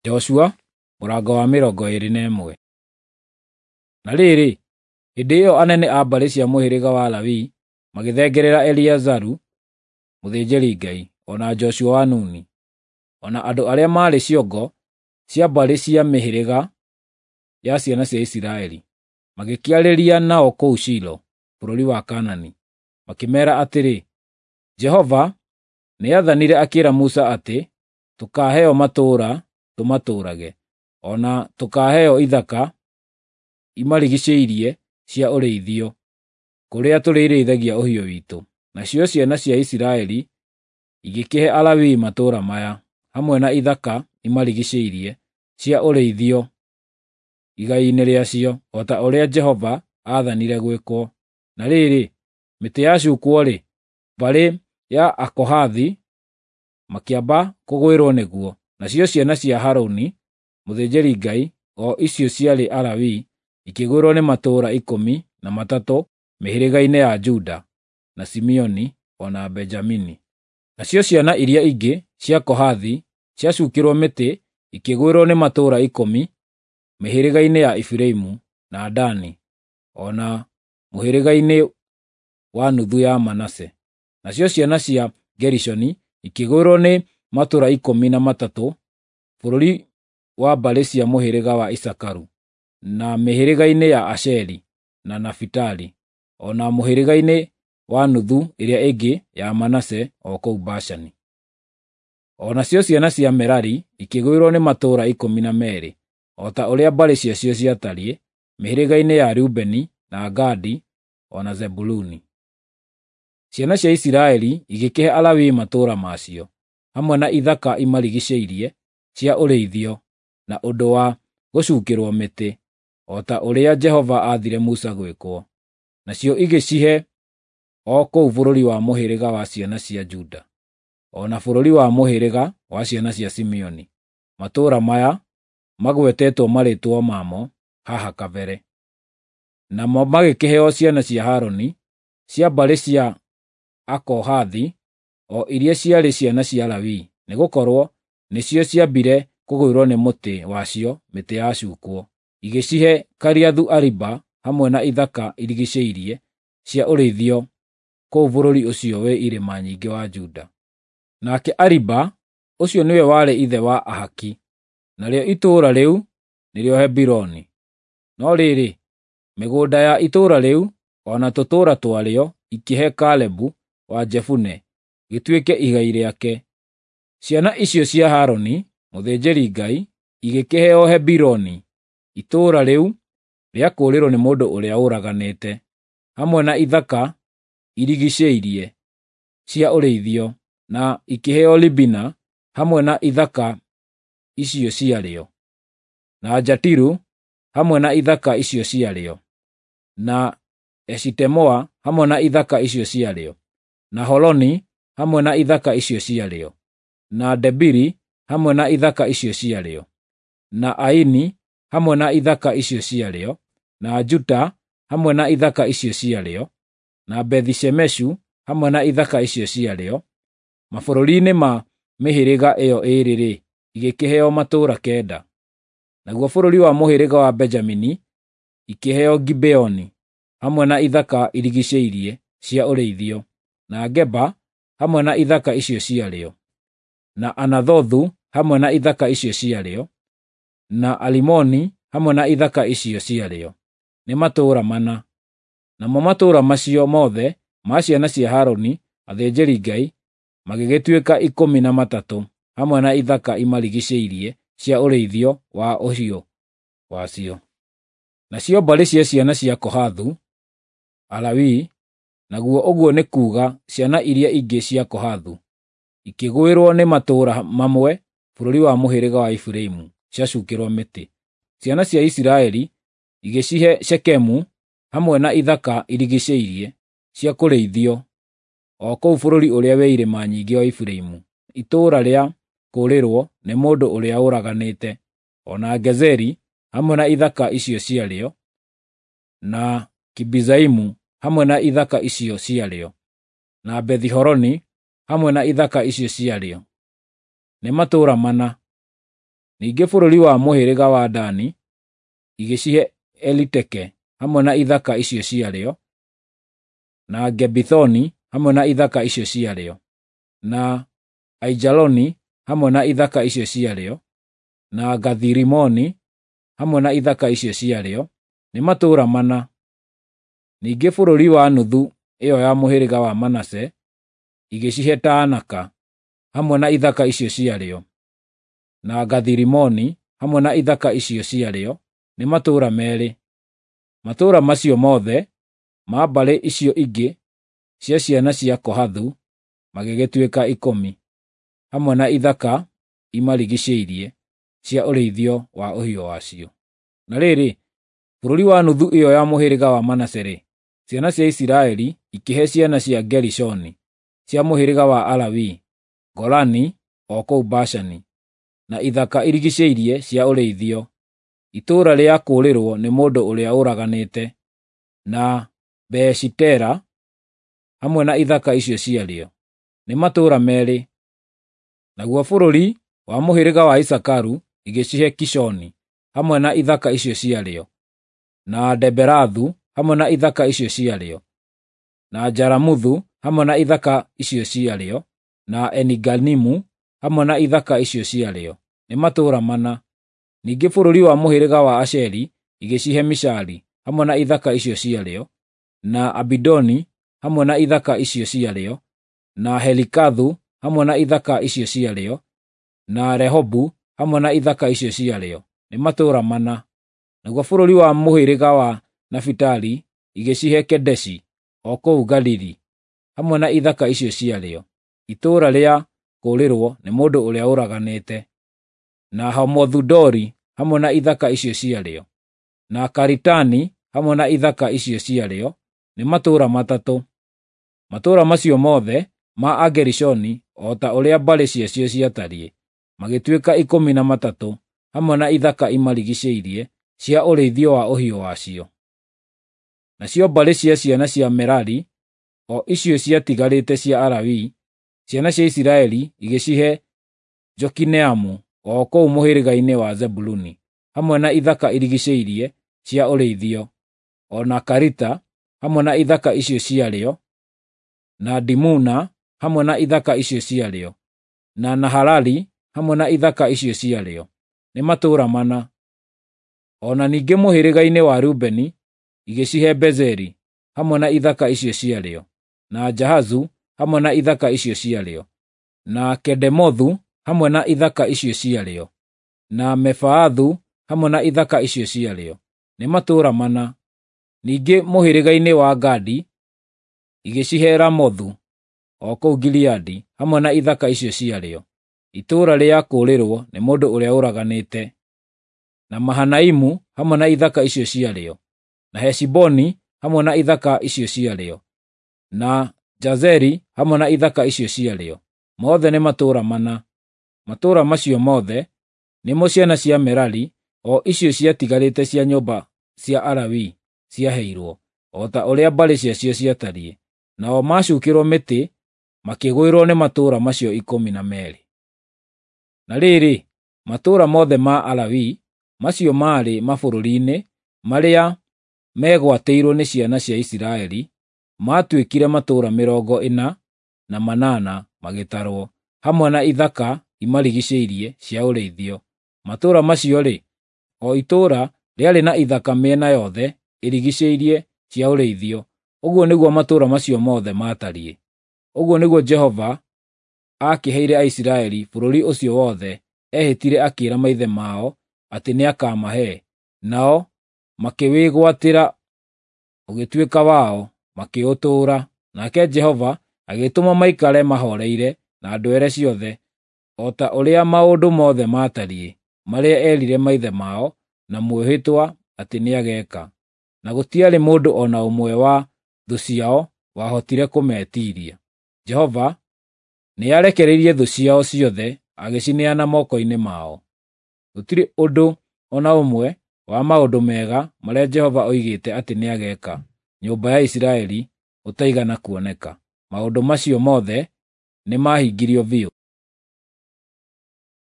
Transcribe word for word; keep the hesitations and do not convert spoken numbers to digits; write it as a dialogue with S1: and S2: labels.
S1: Joshua mũrango wa mĩrongo ĩĩrĩ na ĩmwe. Na rĩrĩ, hĩndĩ ĩyo anene a mbarĩ cia mũhĩrĩga wa Lawi magĩthengerera Eleazaru mũthĩnjĩri-Ngai, o na Joshua wa Nuni, o na andũ arĩa maarĩ ciongo cia mbarĩ cia mĩhĩrĩga ya ciana cia Isiraeli, magĩkĩarĩria nao kũu Shilo, bũrũri wa Kaanani, makĩmeera atĩrĩ, Jehova nĩathanire akĩĩra Musa atĩ tũkaaheo matũũra tũmatũũrage, o na tũkaaheo ithaka imarigiicĩirie cia ũrĩithio, kũrĩa tũrĩrĩithagia ũhiũ witũ. Nacio ciana cia Isiraeli igĩkĩhe Alawii matũũra maya, hamwe na ithaka imarigiicĩirie cia ũrĩithio igai-inĩ rĩacio, o ta ũrĩa Jehova aathanire gwĩkwo. Na rĩrĩ, mĩtĩ yacuukwo-rĩ, mbarĩ ya Akohathi makĩamba kũgwĩrwo nĩguo, nacio ciana cia Harũni mũthĩnjĩri-Ngai, o icio ciarĩ Alawii, ikĩgwĩrwo nĩ matũũra ikũmi na matatũ mĩhĩrĩga-inĩ ya Juda, na Simeoni, o na Benjamini. Nacio ciana iria ingĩ cia Kohathu ciacuukĩrwo mĩtĩ ikĩgwĩrwo nĩ matũũra ikũmi mĩhĩrĩga-inĩ ya Efiraimu, na Dani, o na mũhĩrĩga-inĩ wa nuthu ya Manase. Nacio ciana cia Gerishoni ikĩgwĩrwo nĩ matũũra ikũmi na matatũ bũrũri wa mbarĩ cia mũhĩrĩga wa Isakaru, na mĩhĩrĩga-inĩ ya Asheri na Nafitali, o na mũhĩrĩga-inĩ wa nuthu ĩrĩa ĩngĩ ya Manase o kũu Bashani. O nacio ciana cia Merari ikĩgwĩrwo nĩ matũũra ikũmi na meerĩ, o ta ũrĩa mbarĩ ciacio ciatariĩ, mĩhĩrĩga-inĩ ya Rubeni, na Gadi, o na Zebuluni. Ciana cia Isiraeli igĩkĩhe Alawii matũũra macio, hamwe na ithaka imarigiicĩirie cia ũrĩithio, na ũndũ wa gũcuukĩrwo mĩtĩ, o ta ũrĩa Jehova aathire Musa gwĩkwo. Nacio igĩcihe o kũu bũrũri wa mũhĩrĩga wa ciana cia Juda, o na bũrũri wa mũhĩrĩga wa ciana cia Simeoni, matũũra maya magwetetwo marĩĩtwa mamo haha kabere. Namo magĩkĩheo ciana cia Harũni cia mbarĩ cia Akohathi, o iria ciarĩ ciana cia Lawi, nĩgũkorwo nĩcio ciambire kũgwĩrwo nĩ mũtĩ wacio mĩtĩ yacuukwo. Igĩcihe Kiriathu-Ariba hamwe na ithaka irigiicĩirie cia ũrĩithio kũu bũrũri ũcio wĩ irĩma nyingĩ wa Juda. Nake Ariba ũcio nĩwe warĩ ithe wa Ahaki, narĩo itũũra rĩu nĩrĩo Hebironi. No rĩrĩ, mĩgũnda ya itũũra rĩu o na tũtũũra twarĩo ikĩhe Kalebu wa Jefune gĩtuĩke igai rĩake. Ciana icio cia Harũni mũthĩnjĩri-Ngai igĩkĩheo Hebironi, itũũra rĩu rĩa kũũrĩrwo nĩ mũndũ ũrĩa ũraganĩte, hamwe na ithaka irigiicĩirie cia ũrĩithio, na ikĩheo Libina hamwe na ithaka icio ciarĩo, na Jatiru hamwe na ithaka icio ciarĩo, na Eshitemoa hamwe na ithaka icio ciarĩo, na Holoni hamwe na ithaka icio ciarĩo, na Debiri hamwe na ithaka icio ciarĩo, na Aini hamwe na ithaka icio ciarĩo, na Juta hamwe na ithaka icio ciarĩo, na Bethi-Shemeshu hamwe na ithaka icio ciarĩo. Mabũrũri-inĩ ma mĩhĩrĩga ĩyo ĩĩrĩ-rĩ, igĩkĩheo matũũra kenda. Naguo bũrũri wa mũhĩrĩga wa Benjamini ikĩheo Gibeoni hamwe na ithaka irigiicĩirie cia ũrĩithio, na Geba hamwe na ithaka icio ciarĩo, na Anathothu hamwe na ithaka icio ciarĩo, na Alimoni hamwe na ithaka icio ciarĩo, nĩ matũũra mana. Namo matũũra macio mothe ma ciana cia Harũni athĩnjĩri-Ngai magĩgĩtuĩka ikũmi na matatũ, hamwe na ithaka imarigiicĩirie cia ũrĩithio wa ũhiũ wacio. Nacio mbarĩ cia ciana cia Kohathu, Alawii, naguo ũguo nĩ kuuga ciana iria ingĩ cia Kohathu, ikĩgwĩrwo nĩ matũũra mamwe bũrũri wa mũhĩrĩga wa Efiraimu ciacuukĩrwo mĩtĩ. Ciana cia Isiraeli igĩcihe Shekemu hamwe na ithaka irigiicĩirie cia kũrĩithio, o kũu bũrũri ũrĩa wĩ irĩma nyingĩ wa Efiraimu, itũũra rĩa kũũrĩrwo nĩ mũndũ ũrĩa ũraganĩte, o na Gezeri hamwe na ithaka icio ciarĩo, na Kibizaimu hamwe na ithaka icio ciarĩo, na Bethi-Horoni hamwe na ithaka icio ciarĩo, nĩ matũũra mana. Ningĩ bũrũri wa mũhĩrĩga wa Dani igĩcihe Eliteke hamwe na ithaka icio ciarĩo, na Gebithoni hamwe na ithaka icio ciarĩo, na Aijaloni hamwe na ithaka icio ciarĩo, na Gathi-Rimoni hamwe na ithaka icio ciarĩo, nĩ matũũra mana. Ningĩ bũrũri wa nuthu ĩyo ya mũhĩrĩga wa Manase igĩcihe Taanaka hamwe na ithaka icio ciarĩo, na Gathi-Rimoni hamwe na ithaka icio ciarĩo, nĩ matũũra meerĩ. Matũũra macio mothe ma mbarĩ icio ingĩ cia ciana cia Kohathu magĩgĩtuĩka ikũmi, hamwe na ithaka imarigiicĩirie cia ũrĩithio wa ũhiũ wacio. Na rĩrĩ, bũrũri wa nuthu ĩyo ya mũhĩrĩga wa Manase-rĩ, ciana cia Isiraeli ikĩhe ciana cia Gerishoni cia mũhĩrĩga wa Alawii Golani o kũu Bashani, na ithaka irigiicĩirie cia ũrĩithio, itũũra rĩa kũũrĩrwo nĩ mũndũ ũrĩa ũraganĩte, na Beeshitera hamwe na ithaka icio ciarĩo, nĩ matũũra meerĩ. Naguo bũrũri wa mũhĩrĩga wa Isakaru igĩcihe Kishoni hamwe na ithaka icio ciarĩo, na Deberathu hamwe na ithaka icio ciarĩo, na Jaramuthu hamwe na ithaka icio ciarĩo, na Eniganimu hamwe na ithaka icio ciarĩo, nĩ matũũra mana. Ningĩ bũrũri wa mũhĩrĩga wa Asheri igĩcihe Mishali hamwe na ithaka icio ciarĩo, na Abidoni hamwe na ithaka icio ciarĩo, na Helikathu hamwe na ithaka icio ciarĩo, na Rehobu hamwe na ithaka icio ciarĩo, nĩ matũũra mana. Naguo bũrũri wa mũhĩrĩga wa Nafitali igĩcihe Kedeshi o kũu Galili hamwe na ithaka icio ciarĩo, itũũra rĩa kũũrĩrwo nĩ mũndũ ũrĩa ũraganĩte, na Hamothu-Dori hamwe na ithaka icio ciarĩo, na Karitani hamwe na ithaka icio ciarĩo, nĩ matũũra matatũ. Matũũra macio mothe ma Agerishoni o ta ũrĩa mbarĩ ciacio ciatariĩ, magĩtuĩka ikũmi na matatũ, hamwe na ithaka imarigiicĩirie cia ũrĩithio wa ũhiũ wacio. Nacio mbarĩ cia ciana cia Merari, o icio ciatigarĩte cia Alawii, ciana cia Isiraeli igĩcihe Jokineamu o kũu mũhĩrĩga-inĩ wa Zebuluni, hamwe na ithaka irigiicĩirie cia ũrĩithio, o na Karita hamwe na ithaka icio ciarĩo, na Dimuna hamwe na ithaka icio ciarĩo, na Nahalali hamwe na ithaka icio ciarĩo, nĩ matũũra mana. O na ningĩ mũhĩrĩga-inĩ wa Rubeni igĩcihe Bezeri hamwe na ithaka icio ciarĩo, na Jahazu hamwe na ithaka icio ciarĩo, na Kedemothu hamwe na ithaka icio ciarĩo, na Mefaathu hamwe na ithaka icio ciarĩo, nĩ matũũra mana. Ningĩ mũhĩrĩga-inĩ wa Gadi igĩcihe Ramothu o kũu Gileadi hamwe na ithaka icio ciarĩo, itũũra rĩa kũũrĩrwo nĩ mũndũ ũrĩa ũraganĩte, na Mahanaimu hamwe na ithaka icio ciarĩo, na Heshiboni hamwe na ithaka icio ciarĩo, na Jazeri hamwe na ithaka icio ciarĩo, mothe nĩ matũũra mana. Matũũra macio mothe nĩmo ciana cia Merari, o icio ciatigarĩte cia nyũmba cia Alawii ciaheirwo, o ta ũrĩa mbarĩ ciacio ciatariĩ. Nao macuukĩrwo mĩtĩ makĩgwĩrwo nĩ matũũra macio ikũmi na meerĩ. Na rĩrĩ, matũũra mothe ma Alawii macio maarĩ mabũrũri-inĩ marĩa meegwatĩirwo nĩ ciana cia Isiraeli maatuĩkire matũũra mĩrongo ĩna na manana magĩtarwo, hamwe na ithaka imarigiicĩirie cia ũrĩithio. Matũũra macio-rĩ, o itũũra rĩarĩ na ithaka mĩena yothe ĩrigiicĩirie cia ũrĩithio. Ũguo nĩguo matũũra macio mothe maatariĩ. Ũguo nĩguo Jehova aakĩheire Aisiraeli bũrũri ũcio wothe ehĩtire akĩĩra maithe mao atĩ nĩakamahe, nao makĩwĩgwatĩra ũgĩtuĩka wao, makĩũtũũra. Nake Jehova agĩtũma maikare mahooreire na ndwere ciothe, o ta ũrĩa maũndũ mothe maatariĩ, marĩa eerire maithe mao na mwĩhĩtwa atĩ nĩageeka. Na gũtiarĩ mũndũ o na ũmwe wa thũ ciao wahotire kũmetiiria. Jehova nĩarekereirie thũ ciao ciothe agĩcineana moko-inĩ mao. Gũtirĩ ũndũ o na ũmwe wa maũndũ mega marĩa Jehova oigĩte atĩ nĩageeka nyũmba ya Isiraeli ũtaigana kuoneka. Maũndũ macio mothe nĩmahingirio biũ.